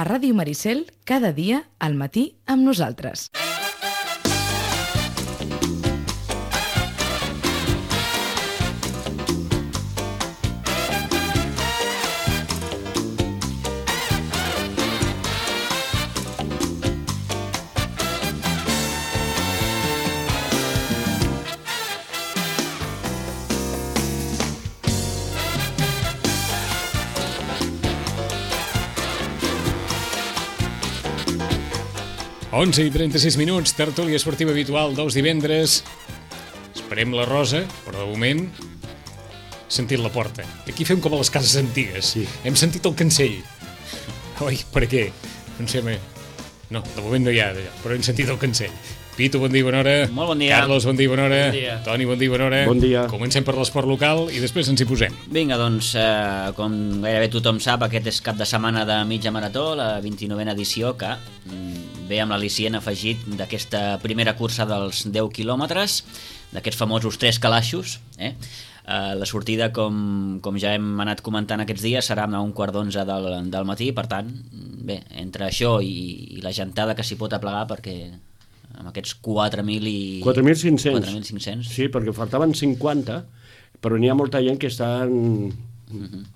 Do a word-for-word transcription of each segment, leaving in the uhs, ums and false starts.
a Ràdio Maricel cada dia al matí amb nosaltres. onze i trenta-sis minuts, tertúlia esportiva habitual dels divendres. Esperem la Rosa, però de moment sentit la porta. Aquí fem com a les cases antigues. Sí. Hem sentit el cancell. Oi, per què? No sé, no, de moment no hi ha, però hem sentit el cancell. Pitu, bon dia, bona hora. Molt bon dia. Carlos, bon dia, bona hora. Bon dia. Toni, bon dia, bona hora. Bon dia. Comencem per l'esport local i després ens hi posem. Vinga, doncs, eh, com gairebé tothom sap, aquest és cap de setmana de mitja marató, la vint-i-novena edició, que mm, ve amb l'al·licient afegit d'aquesta primera cursa dels deu quilòmetres, d'aquests famosos tres calaixos, eh? Uh, la sortida, com, com ja hem anat comentant aquests dies, serà a un quart d'onze del, del matí. Per tant, bé, entre això i, i la gentada que s'hi pot aplegar, perquè amb aquests quatre mil i... quatre mil cinc-cents. quatre mil cinc-cents. Sí, perquè faltaven cinquanta, però n'hi ha molta gent que estan... Mm-hmm.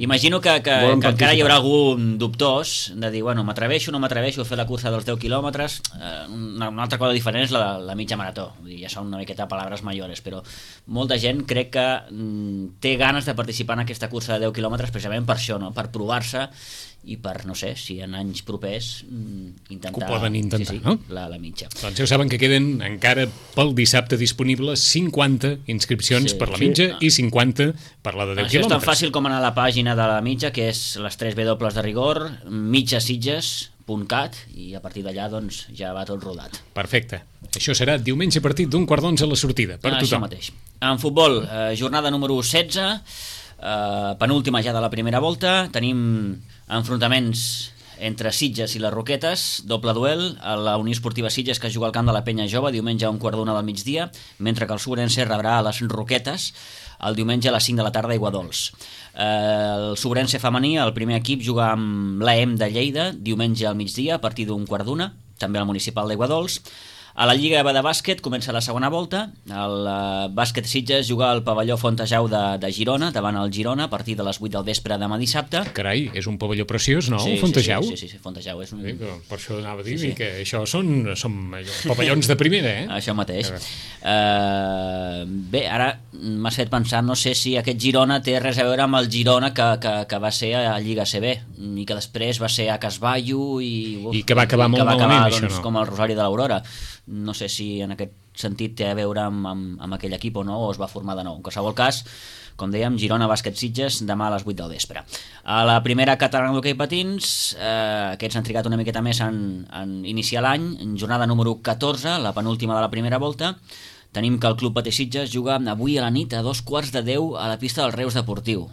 Imagino que, que, que encara hi haurà algun dubtós de dir, bueno, m'atreveixo o no m'atreveixo a fer la cursa dels deu quilòmetres. eh, una, una altra cosa diferent és la, la mitja marató. Vull dir, ja són una miqueta paraules mayores, però molta gent crec que mm, té ganes de participar en aquesta cursa de deu quilòmetres precisament per això, no? Per provar-se i per, no sé, si en anys propers mm, intentar, que ho poden intentar, sí, sí, no? la, la mitja. Doncs ja saben que queden encara pel dissabte disponibles cinquanta inscripcions Sí, per la sí. mitja i cinquanta per la de deu Això és tan quilòmetres. fàcil com anar a la pàgina de la mitja, que és les tres W de rigor, mitjasitges punt cat, i a partir d'allà doncs, ja va tot rodat. Perfecte. Això serà diumenge a partir d'un quart d'onze a la sortida, per Ah, tothom. Això mateix. En futbol, eh, jornada número setze, eh, penúltima ja de la primera volta, tenim enfrontaments entre Sitges i les Roquetes, doble duel, a la Unió Esportiva Sitges, que juga al camp de la Penya Jove diumenge a un quart d'una del migdia, mentre que el Sobrense rebrà a les Roquetes el diumenge a les cinc de la tarda a Iguadols. Eh, el Sobrense femení, el primer equip, juga amb l'A E M de Lleida diumenge al migdia a partir d'un quart d'una, també al municipal d'Iguadols. A la Lliga de bàsquet comença la segona volta. El uh, bàsquet Sitges juga al pavelló Fontejau de, de Girona, davant el Girona, a partir de les vuit del vespre demà dissabte. Carai, és un pavelló preciós, no? Sí, El Fontejau? Sí, sí, sí, sí, Fontejau és un... Sí, per això anava a dir Sí, sí. que això són, són allò, pavellons de primera, eh? Això mateix. Uh, bé, ara m'has fet pensar, no sé si aquest Girona té res a veure amb el Girona que, que, que va ser a Lliga C B i que després va ser a Casballo i... Uf, I que va acabar molt que va malament, acabar, això, doncs, no? com el Rosari de l'Aurora. No sé si en aquest sentit té a veure amb, amb, amb aquell equip o no, o es va formar de nou. En qualsevol cas, com dèiem, Girona Bàsquet Sitges demà a les vuit del vespre. A la primera catalana d'hoquei patins, eh, aquests han trigat una miqueta més en, en iniciar l'any, en jornada número catorze, la penúltima de la primera volta. Tenim que el Club Patí Sitges juga avui a la nit a dos quarts de deu a la pista del Reus Deportiu.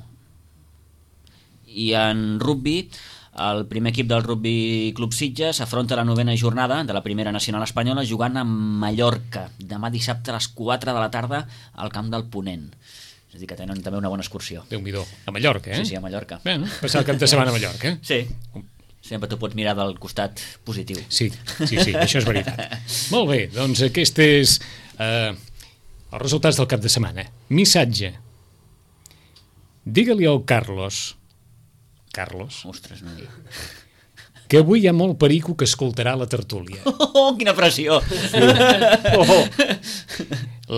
I en rugby, el primer equip del Rugby Club Sitges afronta la novena jornada de la primera nacional espanyola jugant a Mallorca demà dissabte a les quatre de la tarda al camp del Ponent. És a dir, que tenen també una bona excursió. Déu-n'hi-do. A Mallorca, eh? Sí, sí, a Mallorca. Bé, no? Passar el cap de setmana a Mallorca, eh? Sí, sempre t'ho pots mirar del costat positiu. Sí, sí, sí, això és veritat. Molt bé, doncs aquest és eh, els resultats del cap de setmana. Missatge. Digue-li al Carlos... Carlos, Ostres, no dic. que avui hi ha molt perico que escoltarà la tertúlia. Oh, quina pressió! Oh.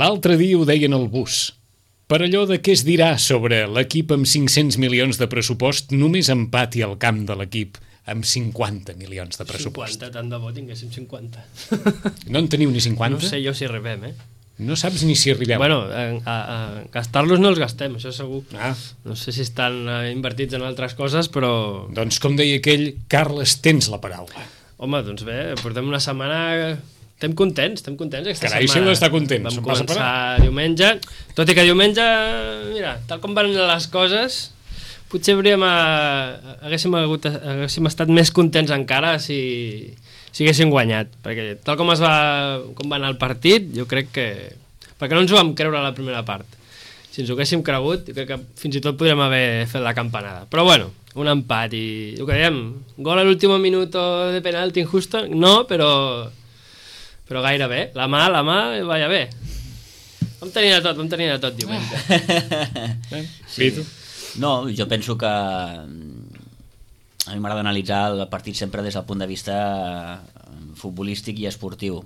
L'altre dia ho deien al bus. Per allò de què es dirà sobre l'equip amb cinc-cents milions de pressupost, només empati al camp de l'equip amb cinquanta milions de pressupost. cinquanta, tant de bo tinguéssim cinquanta. No en teniu ni cinquanta? No sé jo si arribem, eh? No saps ni si arribeu. Bueno, a, a, a gastar-los no els gastem, això segur. Ah. No sé si estan eh, invertits en altres coses, però... Doncs com deia aquell, Carles, tens la paraula. Home, doncs bé, portem una setmana... Estem contents, estem contents aquesta Carai, si setmana. heu d'estar contents, Vam em vas a començar parar. diumenge, tot i que diumenge, mira, tal com van les coses, potser hauríem a... haguéssim, hagut, haguéssim estat més contents encara si... si haguessin guanyat, perquè tal com es va com va anar el partit, jo crec que perquè no ens ho vam creure a la primera part. Si ens ho haguéssim cregut, jo crec que fins i tot podríem haver fet la campanada. Però bueno, un empat i el que dèiem, gol a l'último minuto de penalti injusto, no, però però gairebé, la mà, la mà, vaya bé. Vam tenir de tot, vam tenir de tot diumenge. Sí. No, jo penso que a mi m'agrada analitzar el partit sempre des del punt de vista futbolístic i esportiu.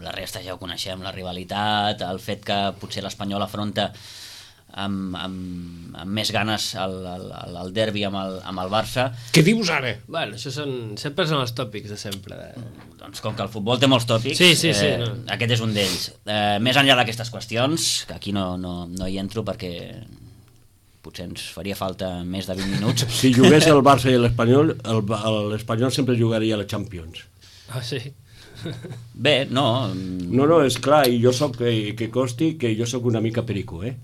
La resta ja ho coneixem, la rivalitat, el fet que potser l'Espanyol afronta amb, amb, amb més ganes el, el, el derbi amb el, amb el Barça. Què dius ara? Bueno, això són, sempre són els tòpics de sempre. De... Doncs com que el futbol té molts tòpics, sí, sí, sí, eh, no. aquest és un d'ells. Eh, més enllà d'aquestes qüestions, que aquí no, no, no hi entro perquè potser ens faria falta més de vint minuts. Si jugués el Barça i l'Espanyol, l'Espanyol sempre jugaria a la Champions. Ah, sí? Bé, no... No, no, és clar, i jo soc, que, que costi que jo sóc una mica perico, eh?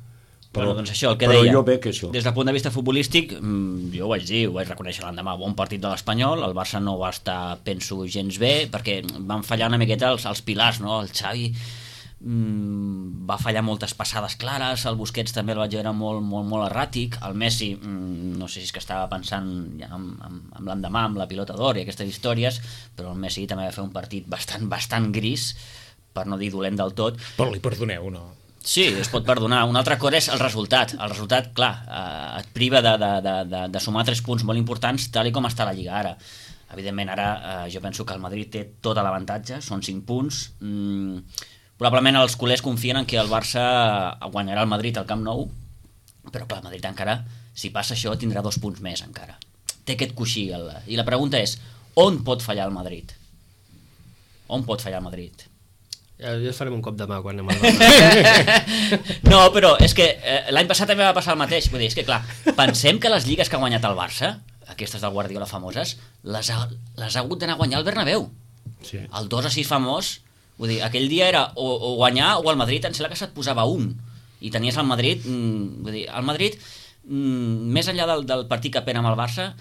Però, bueno, doncs això, el que però deia, jo veig això. Des del punt de vista futbolístic, jo ho vaig dir, ho vaig reconèixer l'endemà, bon partit de l'Espanyol, el Barça no va estar, penso, gens bé, perquè van fallar una miqueta els, els pilars, no? El Xavi mm, va fallar moltes passades clares, el Busquets també el vaig veure molt, molt, molt erràtic, el Messi, mm, no sé si és que estava pensant ja amb, amb, amb l'endemà, amb la pilota d'or i aquestes històries, però el Messi també va fer un partit bastant, bastant gris, per no dir dolent del tot. Però li perdoneu, no? Sí, es pot perdonar. Una altra cosa és el resultat. El resultat, clar, eh, et priva de, de, de, de, de sumar tres punts molt importants tal i com està la Lliga ara. Evidentment, ara eh, jo penso que el Madrid té tot l'avantatge, són cinc punts. Mm, probablement els culers confien en que el Barça guanyarà el Madrid al Camp Nou, però clar, el Madrid encara, si passa això, tindrà dos punts més encara. Té aquest coixí. El... I la pregunta és, on pot fallar el Madrid? On pot fallar el Madrid? Ja, ja farem un cop de mà quan anem al Barça. No, però és que eh, l'any passat també va passar el mateix. Vull dir, és que clar, pensem que les lligues que ha guanyat el Barça, aquestes del Guardiola famoses, les ha, les ha hagut d'anar a guanyar al Bernabéu. Sí. El dos a sis famós, vull dir, aquell dia era o, o guanyar o el Madrid, em sembla que se't posava un. I tenies el Madrid, mm, vull dir, el Madrid, mm, més enllà del, del partit que pena amb el Barça,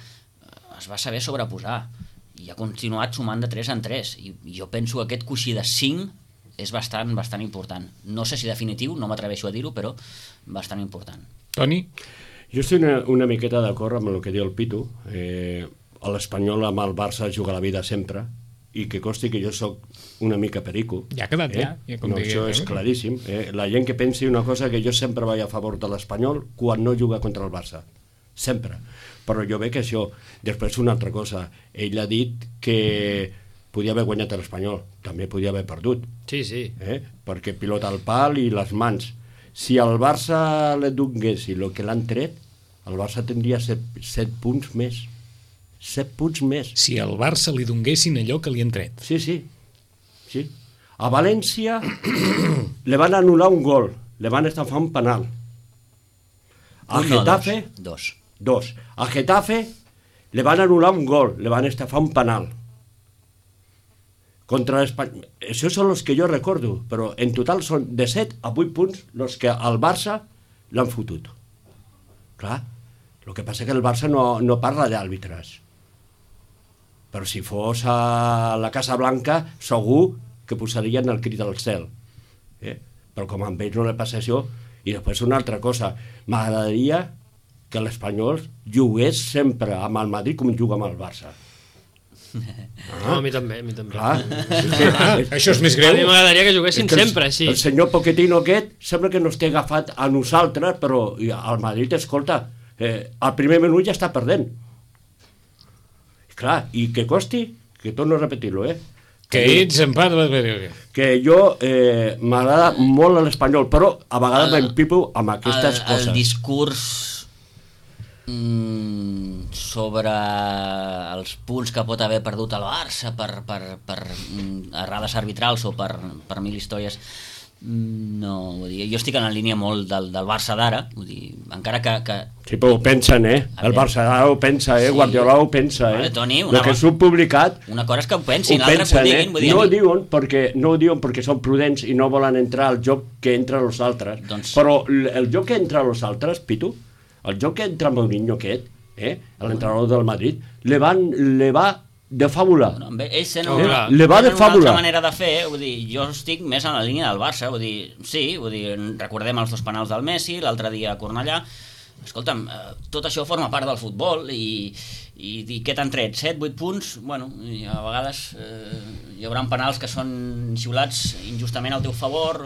es va saber sobreposar. I ha continuat sumant de tres en tres. I, i jo penso que aquest coixí de cinc és bastant, bastant important. No sé si definitiu, no m'atreveixo a dir-ho, però bastant important. Toni? Jo estic una, una miqueta d'acord amb el que diu el Pitu. Eh, L'Espanyol amb el Barça juga la vida sempre, i que costi que jo sóc una mica perico. Ja ha quedat, eh? ja. ja com no, digui, això és eh? claríssim. Eh? La gent que pensi una cosa, que jo sempre vaig a favor de l'Espanyol quan no juga contra el Barça. Sempre. Però jo veig que això... Després una altra cosa. Ell ha dit que podia haver guanyat l'Espanyol, també podia haver perdut. Sí, sí. Eh? Perquè pilota al pal i les mans. Si al Barça le donés el que l'han tret, el Barça tindria set, set punts més. Set punts més. Si al Barça li donguessin allò que li han tret. Sí, sí. sí. A València le van anul·lar un gol, le van estafar un penal. A Un, no, Getafe... dos. Dos. A Getafe le van anul·lar un gol, le van estafar un penal. Contra l'Espanyol... Això són els que jo recordo, però en total són de set a vuit punts els que al Barça l'han fotut. Clar, el que passa és que el Barça no, no parla d'àrbitres. Però si fos a la Casa Blanca, segur que posarien el crit al cel. Eh? Però com amb ells no li passa això, i després una altra cosa, m'agradaria que l'Espanyol jugués sempre amb el Madrid com juga amb el Barça. Ah, no, a mi també, a mi també. Clar, és que, és, Això és més A greu? mi m'agradaria que juguessin és que el, sempre així. el senyor Pochettino aquest sembla que no esté agafat a nosaltres, però al Madrid, escolta, eh, al primer minut ja està perdent. Clar, i que costi, que torno a repetir-lo, eh? Que ets en part... Que jo eh, m'agrada molt l'Espanyol, però a vegades El- m'empipo amb aquestes el, coses. El discurs mm, sobre els punts que pot haver perdut el Barça per, per, per mm, errades arbitrals o per, per mil històries, mm, no, vull dir, jo estic en la línia molt del, del Barça d'ara, vull dir, encara que... que Sí, però ho pensen, eh? A El veure. Barça ho pensa, eh? Sí. Guardiola ho pensa, eh? Vale, Toni, una el que cosa- s'ho publicat una cosa és que ho ho pensin, l'altra que ho pensen, eh? diguin, vull dir, No a ho mi- diuen perquè, no ho diuen perquè són prudents i no volen entrar al joc que entra els altres. Doncs- Però l- el joc que entra els altres, Pitu, el joc que entra Mourinho aquest, eh? l'entrenador del Madrid, le, van, le va de fàbula. No, amb ells tenen, Oh, una, clar. Le va de tenen una fàbula. altra manera de fer, vull dir, jo estic més en la línia del Barça, vull dir, sí, vull dir, recordem els dos penals del Messi, l'altre dia a Cornellà, escolta'm, eh, tot això forma part del futbol i, i, i què t'han tret? set, vuit punts? Bueno, i a vegades eh, hi haurà penals que són xiulats injustament al teu favor.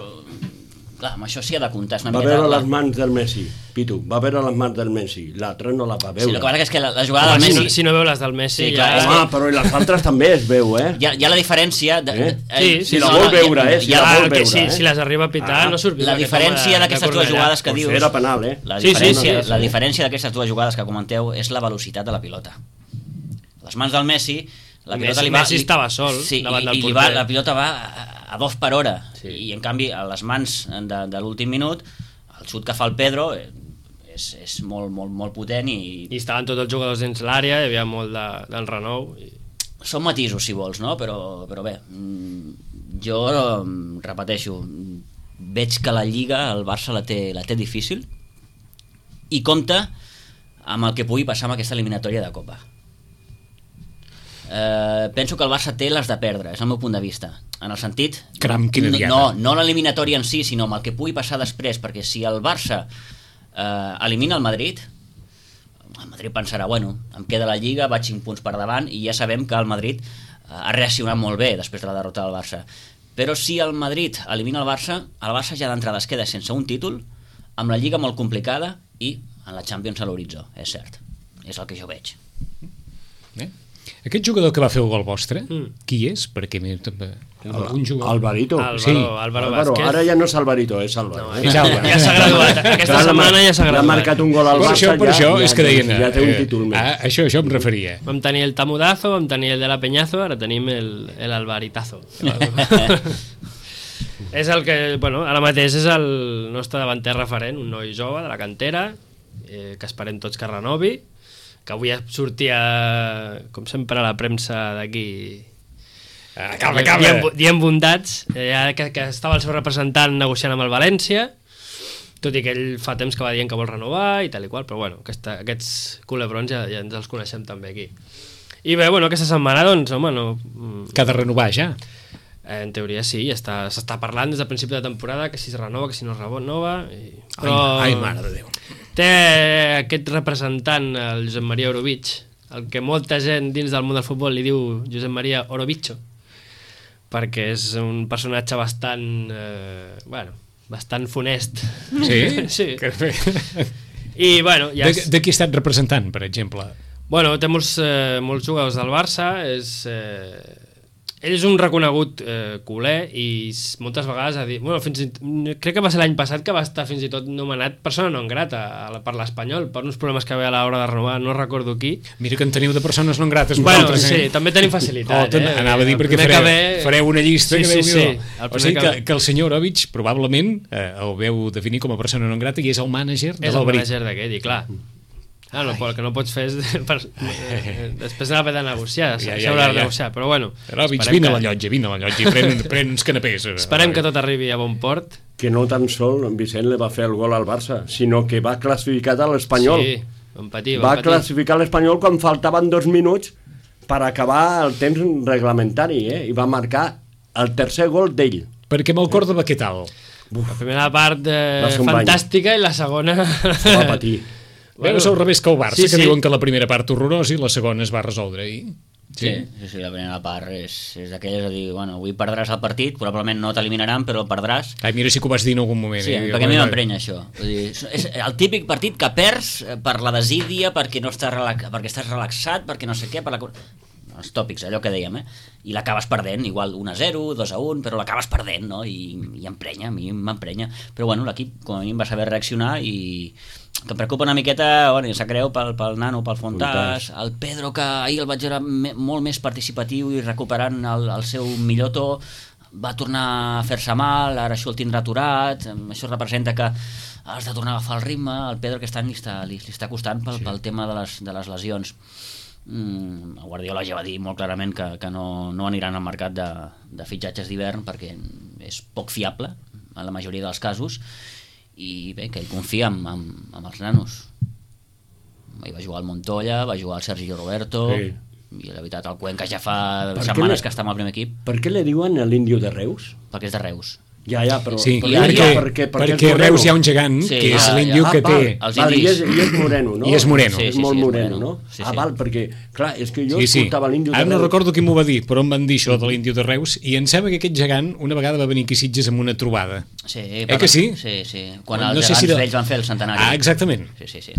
Clar, amb això s'hi ha de comptar. Va veure les mans del Messi, Pitu, va veure les mans del Messi, l'altre no la va veure. Sí, el que passa és que la, la jugada Home, del Messi... Si no, si no veu les del Messi... Sí, ja... clar, Home, que... però i les altres també es veu, eh? Hi ha, hi ha la diferència... De, eh? eh, Sí, si la vol veure, eh? Si hi ha, la vol que veure, si, eh? si les arriba a pitar, Ah, no surt viu la aquest diferència home de- d'aquestes de dues Cornellà. jugades que Pues dius... era penal, eh? La Sí, sí, diferència, sí. la diferència d'aquestes dues jugades que comenteu és la velocitat de la pilota. Les mans del Messi... La pilota Messi- li va, Messi estava sol sí, davant i, del i li va, porter. la pilota va a, a dos per hora. Sí. I en canvi, a les mans de, de l'últim minut, el xut que fa el Pedro eh, és, és molt, molt, molt potent i... I estaven tots els jugadors dins l'àrea, hi havia molt de, del renou. I... Són matisos, si vols, no? Però, però bé, mm, jo mm, repeteixo, veig que la Lliga, el Barça la té, la té difícil i compta amb el que pugui passar amb aquesta eliminatòria de Copa. Eh, penso que el Barça té les de perdre, és el meu punt de vista, en el sentit Caram, quina no, diada. no, no l'eliminatòria en si, sinó amb el que pugui passar després, perquè si el Barça eh, elimina el Madrid, el Madrid pensarà, bueno, em queda la Lliga, vaig cinc punts per davant i ja sabem que el Madrid eh, ha reaccionat molt bé després de la derrota del Barça. Però si el Madrid elimina el Barça, el Barça ja d'entrada es queda sense un títol, amb la Lliga molt complicada i en la Champions a l'horitzó, és cert, és el que jo veig. Eh? Aquest jugador que va fer el gol vostre, Mm. qui és? Perquè m'he... algun jugador... Alvarito. Álvaro, Sí. Álvaro Álvaro, Vázquez. ara ja no és Alvarito, és Álvaro. No, eh? És Álvaro. Ja s'ha graduat. Aquesta Clar, setmana ja s'ha l'ha graduat. marcat un gol al Per Barça, això, per ja, això ja, és que deien... ja té un eh, títol més. ah, això, això em referia. Vam tenir el Tamudazo, vam tenir el de la Peñazo, ara tenim el, el Alvaritazo. És el que, bueno, ara mateix és el nostre davanter referent, un noi jove de la cantera, eh, que esperem tots que renovi, que avui sortia, com sempre, a la premsa d'aquí... Acaba, acaba! Dient, dient bondats, eh, que, que estava el seu representant negociant amb el València, tot i que ell fa temps que va dient que vol renovar i tal i qual, però bueno, aquesta, aquests culebrons ja, ja ens els coneixem també aquí. I bé, bueno, aquesta setmana, doncs, home, no... Que ha de renovar ja. Eh, en teoria sí, està, s'està parlant des del principi de temporada que si es renova, que si no es renova i... Ai, ai, mare de Déu. Té aquest representant, el Josep Maria Orovich, el que molta gent dins del món del futbol li diu Josep Maria Orovicho, perquè és un personatge bastant, eh, bueno, bastant funest. Sí? Sí. Que bé. I, bueno, ja De, és... de qui ha estat representant, per exemple? Bueno, té molts, eh, molts jugadors del Barça, és... Eh, ell és un reconegut eh, culer i s- moltes vegades ha dit... Bueno, fins i, crec que va ser l'any passat que va estar fins i tot nomenat persona non grata a la, per l'Espanyol, per uns problemes que ve a l'hora de renovar, no recordo qui. Mira que en teniu de persones non grates Bueno, vosaltres, sí, eh? també tenim facilitat. Oh, ten- eh? anava a dir El perquè primer fareu, que ve- fareu una llista Sí, que sí, Déu-n'hi-do. sí. El O primer sigui que que, ve. que el senyor Orovich probablement eh, el veu definir com a persona non grata i és el mànager de És el l'Alberit. manager d'aquest, i clar. Ah, no, el que no pots fer és... Per, eh, després anar a haver de negociar, Ja, ja, s'haurà ja, de ja. negociar, però bueno... Orovich, esperem vine a que- la llotja, vine a la llotja i pren, pren uns canapés. Esperem que tot arribi a bon port. Que no tan sol Vicent li va fer el gol al Barça, sinó que va classificar a l'Espanyol. Sí, vam patir, Va vam patir. classificar l'Espanyol quan faltaven dos minuts per acabar el temps reglamentari, eh? I va marcar el tercer gol d'ell. Perquè amb el Córdoba què tal? La primera part eh, Va ser un bany. fantàstica i la segona... Va patir. Bueno, Veus al revés que el Barça, sí, que sí. diuen que la primera part horrorosa i la segona es va resoldre ahir. Sí, sí, sí, la primera part és, és d'aquelles de dir, bueno, avui perdràs el partit, probablement no t'eliminaran, però el perdràs. Ai, mira si que ho vas dir en algun moment. Sí, eh? perquè a mi m'emprenya això. Vull dir, és el típic partit que perds per la desídia, perquè no estàs, relax, perquè estàs relaxat, perquè no sé què, per la... els tòpics, allò que dèiem, eh? I l'acabes perdent, igual un a zero, dos a un, però l'acabes perdent, no? I, i emprenya, a mi m'emprenya. Però bueno, l'equip com a mi va saber reaccionar i que em preocupa una miqueta, bueno, s'ha creu pel, pel Nano, pel Fontàs, el Pedro, que ahir el vaig veure me, molt més participatiu i recuperant el, el seu millor to, va tornar a fer-se mal, ara això el tindrà aturat, això representa que has de tornar a agafar el ritme, el Pedro aquest any li està, li, li està costant pel, sí. pel tema de les, de les lesions. Mm, el Guardiola ja va dir molt clarament que, que no, no aniran al mercat de, de fitxatges d'hivern perquè és poc fiable en la majoria dels casos i bé, que ell confia en, en, en els nanos. Hi va jugar el Montoya, va jugar el Sergio Roberto, Sí. i la veritat el Cuenca ja fa Per què setmanes le- que està amb el primer equip Per què li diuen l'índio de Reus? perquè és de Reus. Ja, ja, però... Sí, però perquè, ja, perquè, perquè, perquè a Reus hi ha un gegant, Sí, que és ah, l'índio ja. que Ah, té... els Val, i, indis. és, I és moreno, no? I és moreno. Sí, És sí, molt sí, és moreno, moreno. no? Sí, Ah, sí. val, perquè, clar, és que jo Sí, sí. escoltava l'índio de Ara no Reus. recordo qui m'ho va dir, però em van dir això de l'índio de Reus, i em sembla que aquest gegant una vegada va venir aquí a Sitges amb una trobada. Sí, Eh que sí? Sí, sí. Quan No els sé si gegants de- vells van fer el centenari. Ah, exactament. Sí, sí, sí.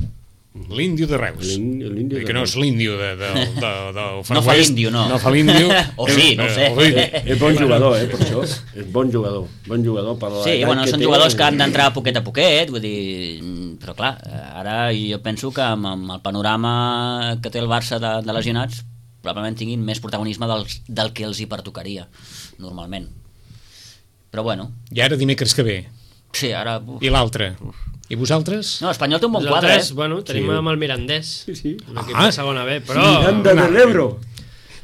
L'índio de Reus. L'ín- l'índio de Que no és Reus. l'índio de, de, de, del Far No fa West. l'índio, no. No fa l'índio. O sí, no ho sé. Eh, Eh, és bon jugador, eh, per això. És bon jugador. Bon jugador per la Sí, edat bueno, que són té. jugadors que han d'entrar poquet a poquet, vull dir, però clar, ara jo penso que amb, amb el panorama que té el Barça de, de lesionats probablement tinguin més protagonisme del, del que els hi pertocaria, normalment. Però bueno, I ara dimecres que ve. sí, ara... Uf. I l'altre. I vosaltres? No, l'Espanyol té un bon quadre, Nosaltres, eh? bueno, tenim Sí. amb el Mirandès, Sí, sí. l'equip Ah. de segona B, però... Miranda de l'Ebro.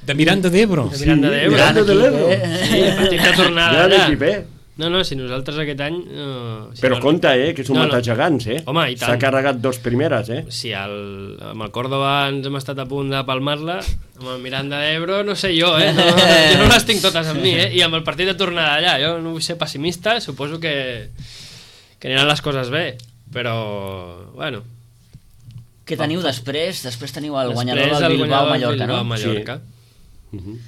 De Miranda d'Ebro. De Miranda Sí, d'Ebre. Miranda de l'Ebro. Sí, el partit de tornada Gran allà. equip, eh? No, no, si nosaltres aquest any... No, si Però no, compte, eh, que són No, no, no. matats gegants, eh? Home, i tant. S'ha carregat dos primeres, eh? Si el, amb el Córdoba ens hem estat a punt de palmar-la, amb el Miranda d'Ebro no sé jo, eh? No, jo no les tinc totes amb mi, eh? I amb el partit de tornada allà, jo no vull ser pessimista, suposo que, que aniran les coses bé, però, bueno... Què teniu després? Després teniu el Després guanyador el del guanyador del Bilbao-Mallorca, no? Bilbao-Mallorca. Uh -huh.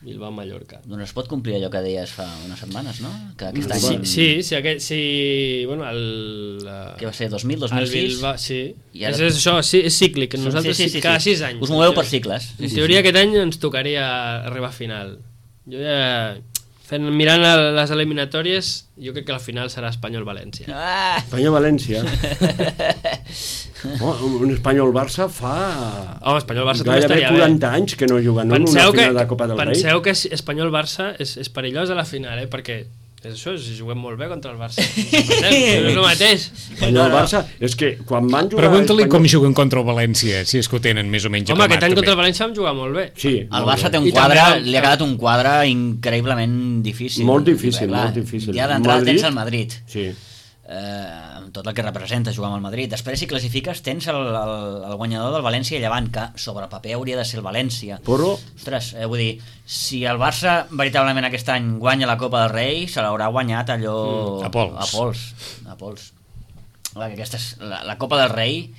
Bilbao-Mallorca. Doncs es pot complir allò que deies fa unes setmanes, no? Que aquest Sí, any... sí, sí, aquest, sí, bueno, el... la- Què va ser, dos mil, dos el mil sis? Bilbao, sí. I ara- És, és això, sí, és cíclic, nosaltres sí, sí, sí, cada sis anys. Us moveu per cicles. En teoria aquest any ens tocaria arribar a final. Jo ja... Fent, mirant a les eliminatòries, jo crec que la final serà Espanyol-València. Ah! Espanyol-València. Oh, un Espanyol-Barça fa... Home, Espanyol-Barça també gairebé estaria bé. quaranta anys que no juguen en una Penseu que, final de Copa del Rei. penseu que Espanyol-Barça és, és perillós a la final, eh? Perquè és això, si juguem molt bé contra el Barça. No és el mateix. Espanyol-Barça, és que quan van jugar... Pregunta-li com Espanyol- juguen contra el València, si és que ho tenen més o menys Home, aquest any acabat, contra el també. València vam jugar molt bé. Sí, El molt Barça bé. té un I quadre, també el- li ha quedat un quadre increïblement difícil. Molt difícil, Clar, molt difícil. Ja d'entrada Madrid- tens el Madrid, Sí. eh, amb tot el que representa jugar amb el Madrid. Després, si classifiques, tens el, el, el guanyador del València i Llevant, que sobre el paper hauria de ser el València. Però Ostres, eh, vull dir, si el Barça veritablement aquest any guanya la Copa del Rei, se l'haurà guanyat allò... Mm, a pols. A pols. A pols. Clar, que aquesta és, la, la Copa del Rei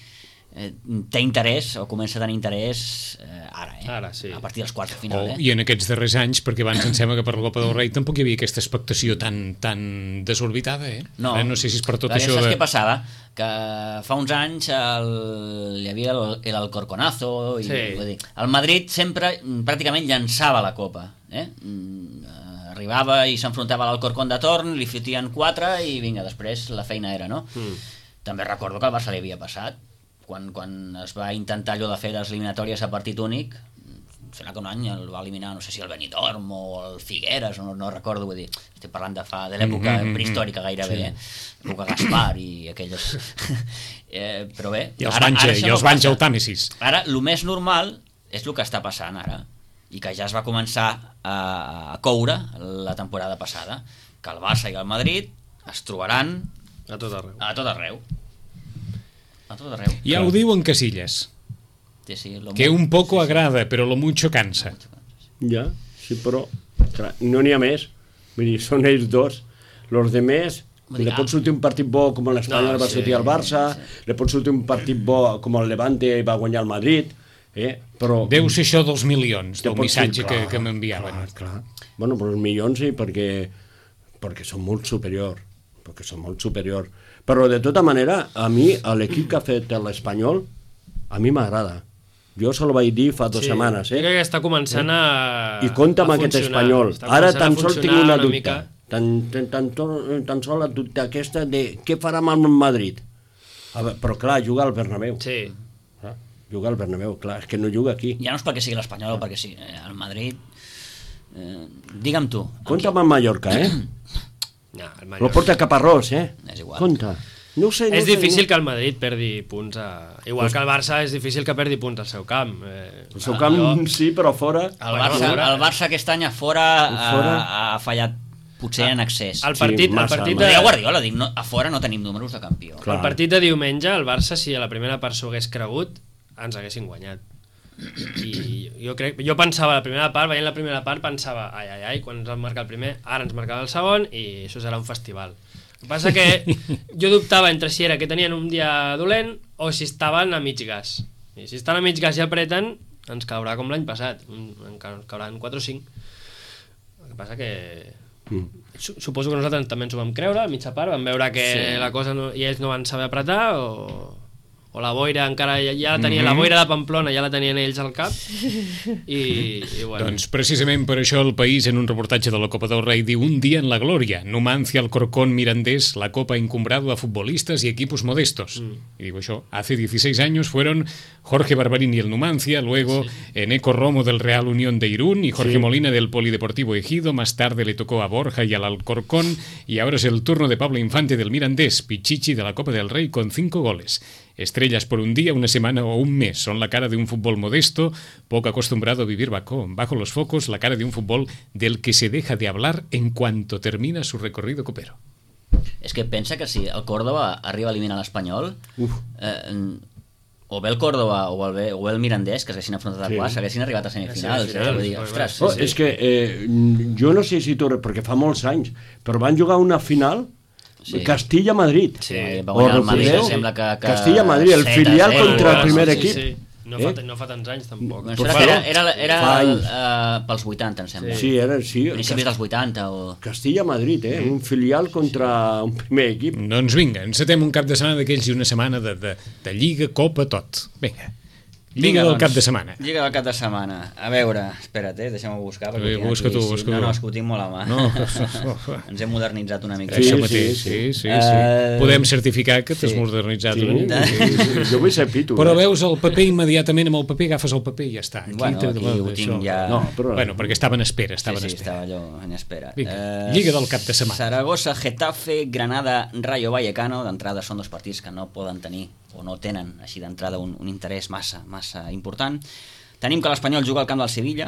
eh, té interès, o comença a tenir interès eh, ara, eh? Ara, sí. A partir dels quarts de final, O, eh? I en aquests darrers anys, perquè abans em sembla que per la Copa del Rei tampoc hi havia aquesta expectació tan, tan desorbitada, eh? No, Ara no sé si és per tot Perquè això saps de... què passava? Que fa uns anys el, hi havia el, el Alcorconazo i, Sí. vull dir, el Madrid sempre mm, pràcticament llançava la Copa, eh? Mm, eh, arribava i s'enfrontava a l'Alcorcon de torn, li fotien quatre i vinga, després la feina era, no? Mm. També recordo que al Barça li havia passat quan, quan es va intentar allò de fer les eliminatòries a partit únic. Em sembla que un any el va eliminar, no sé si el Benidorm o el Figueres, no, no recordo, vull dir, estic parlant de fa de l'època Mm, mm, mm, prehistòrica gairebé, sí. eh? L'època Gaspar i aquelles... eh, però bé... I els Banxa, això i els no Banxa passa. el Tàmesis. Ara, el més normal és el que està passant ara, i que ja es va començar a, a coure la temporada passada, que el Barça i el Madrid es trobaran A tot arreu. a tot arreu. A tot arreu. Ja ho diu en Casillas, Sí, sí, lo que mu- un poco sí, sí. agrada, però lo mucho cansa. ja, sí, però clar, no n'hi ha més. Vull dir, són ells dos. Los de més, Vull dir, li pot sortir un partit bo com l'Espanyol No, va sí, sortir al Barça, li pot sortir un partit bo com el Levante i va guanyar el Madrid, eh? però... Deu ser això dels milions, Te del pot ser, missatge que, clar, que m'enviaven. Clar, clar. Bueno, però els milions sí, perquè, perquè són molt superior, perquè són molt superior. Però de tota manera, a mi, a l'equip que ha fet l'Espanyol, a mi m'agrada. Jo se lo vaig dir fa dues setmanes, Jo eh? crec que està començant a... I compta amb a aquest funcionar. Espanyol. Està Ara començant a tan sols tinc funcionar una una dubte. mica. Tan, tan, tan, tan, tan sols la dubte aquesta de què farà amb el Madrid. A veure, però clar, juga al Bernabéu. Sí. Ah, juga al Bernabéu, clar, és que no juga aquí. Ja no és perquè sigui l'Espanyol o perquè sí. Eh, el Madrid... Eh, digue'm tu. amb Compta qui- amb el Mallorca, eh? No, el Lo Mallorca. porta Caparrós, eh? És igual. Compta. No ho sé, no És ho sé, difícil no... que el Madrid perdi punts a... Igual que el Barça és difícil que perdi punts al seu camp. Eh, El seu camp jo- sí, però fora... El Bueno, Barça, fora. el Barça aquest any a fora, A fora. ha, ha fallat potser en accés. El Sí, partit, el massa, partit Ho de, deia Guardiola, dic, no, a fora no tenim números de campió. Clar. el partit de diumenge, el Barça, si a la primera part s'ho hagués cregut, ens haguessin guanyat. i jo crec, jo pensava la primera part, veient la primera part pensava, ai, ai, ai, quan ens van marcar el primer, ara ens marcava el segon i això serà un festival. El que passa que jo dubtava entre si era que tenien un dia dolent o si estaven a mig gas. I si estan a mig gas i apreten, ens caurà com l'any passat, ens cauran quatre o cinc. El que passa que mm. suposo que nosaltres també ens ho vam creure a mitja part, vam veure que sí. la cosa no, i ells no van saber apretar o... o la boira encara ja, ja tenia, mm-hmm. la boira de Pamplona ja la tenien ells al cap i, i bueno. Doncs precisament per això el País, en un reportatge de la Copa del Rei, diu: un día en la gloria, Numancia, Alcorcón, Mirandés, la Copa ha encumbrado a futbolistas y equipos modestos. Mm. Y digo yo, hace dieciséis años fueron Jorge Barbarini el Numancia, luego sí. Eneco Romo del Real Unión de Irún y Jorge sí. Molina del Polideportivo Ejido, más tarde le tocó a Borja y al Alcorcón, y ahora es el turno de Pablo Infante del Mirandés, Pichichi de la Copa del Rey con cinco goles. Estrellas por un día, una semana o un mes. Son la cara de un fútbol modesto, poco acostumbrado a vivir bajo, bajo los focos, la cara de un fútbol del que se deja de hablar en cuanto termina su recorrido copero. És que pensa que si el Córdoba arriba a eliminar l'Espanyol, eh, o bé el Córdoba o el, o el Mirandés, que s'haguessin afrontat a sí. quarts, s'haguessin arribat a semifinals. Sí, sí, sí, dir, ostres, oh, sí, sí. És que eh, jo no sé si tu... perquè fa molts anys, però van jugar una final... Sí. Castilla-Madrid. Sí, va guanyar el Madrid, sembla que... que Castilla-Madrid, el filial contra el primer sí, equip. Sí, sí. No, eh? fa, no fa tants anys, tampoc. Doncs era era, era, era uh, pels vuitanta, em sembla. Sí, era, sí. Principis dels vuitanta. O... Castilla-Madrid, eh? Un filial contra un primer equip. Doncs vinga, encetem un cap de setmana d'aquells i una setmana de, de, de Lliga, Copa, tot. Vinga. Lliga del doncs, cap de setmana. Lliga del cap de setmana. A veure, espera't, eh, deixa'm-ho buscar. Sí, busca tu, busca tu. No, no, és que ho tinc molt a mà. No. Ens hem modernitzat una mica. Sí, això mateix, sí, sí, sí. sí. Uh... Podem certificar que t'has sí. modernitzat sí. una mica. Sí, sí, sí. Jo vull ser pitu. Però eh? veus el paper immediatament, amb el paper agafes el paper i ja està. Aquí bueno, aquí ho tinc això. Ja... No, però... Bueno, perquè estava en espera, estava sí, en sí, espera. estava allò en espera. Vinga, uh, Lliga del cap de setmana. Saragossa, Getafe, Granada, Rayo Vallecano. D'entrada són dos partits que no poden tenir o no tenen així d'entrada un, un interès massa, massa important. Tenim que l'Espanyol juga al camp del Sevilla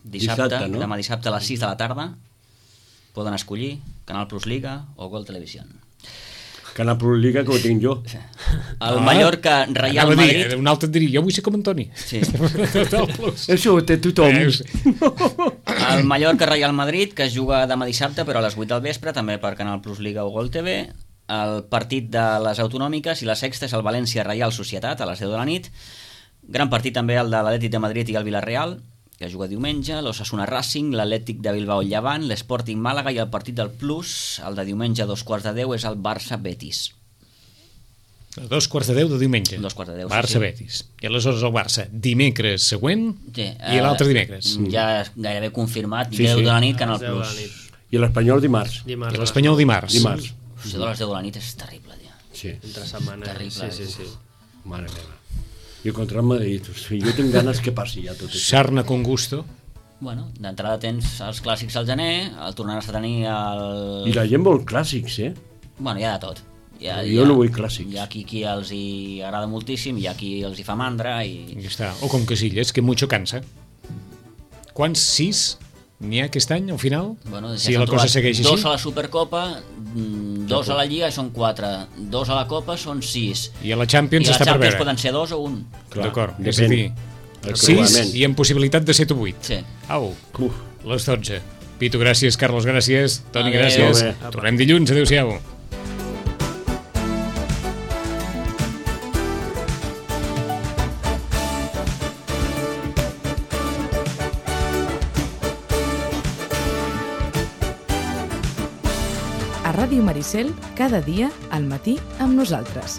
dissabte, dissabte no? demà dissabte a les sis de la tarda. Poden escollir Canal Plus Liga o Gol Televisión. Canal Plus Liga, que ho tinc jo. El ah, Mallorca, Real Madrid... Dir, un altre diria, jo vull ser com Antoni. Sí. Això ho té tothom. El Mallorca, Real Madrid, que es juga demà dissabte, però a les vuit del vespre, també per Canal Plus Liga o Gol T V. El partit de les autonòmiques i la sexta és el València Reial Societat a les deu de la nit. Gran partit també el de l'Atlètic de Madrid i el Villarreal, que juga diumenge, l'Osasuna Racing, l'Atlètic de Bilbao Llevant, l'Sporting Màlaga, i el partit del Plus, el de diumenge a dos quarts de deu, és el Barça Betis. A dos quarts de deu de diumenge. Dos quarts de deu, Barça sí, sí. Betis. I aleshores el Barça dimecres següent sí, uh, i l'altre dimecres. Ja gairebé confirmat, sí, deu sí. de la nit, Canal Plus. I l'Espanyol dimarts. dimarts. I l'Espanyol dimarts. Dimarts. Això de les deu de la nit és terrible, tia. Sí. Entre setmana. Terrible, sí, sí, sí. Mare meva. I contra el Madrid, o sigui, jo tinc ganes que passi ja tot això. Sarna con gusto. Bueno, d'entrada tens els clàssics al gener, el tornaràs a tenir el... I la gent vol clàssics, eh? Bueno, hi ha de tot. Hi ha, jo hi ha, no vull clàssics. Hi ha qui, qui els hi agrada moltíssim, hi ha qui els hi fa mandra i... I està. O com Casillas, que mucho cansa. Quants? Sis? N'hi ha aquest any, al final? Bueno, si la cosa segueix dos així? a la Supercopa, dos a la Lliga són quatre, dos a la Copa són sis. I a la Champions I està la per Champions veure. poden ser dos o un. D'acord, és a dir, sis i amb possibilitat de set o vuit. Sí. Au, Uf. les dotze. Pitu, gràcies. Carlos, gràcies. Toni, Adeu. gràcies. Adeu. Tornem dilluns. Adéu-siau. A Ràdio Maricel, cada dia al matí amb nosaltres.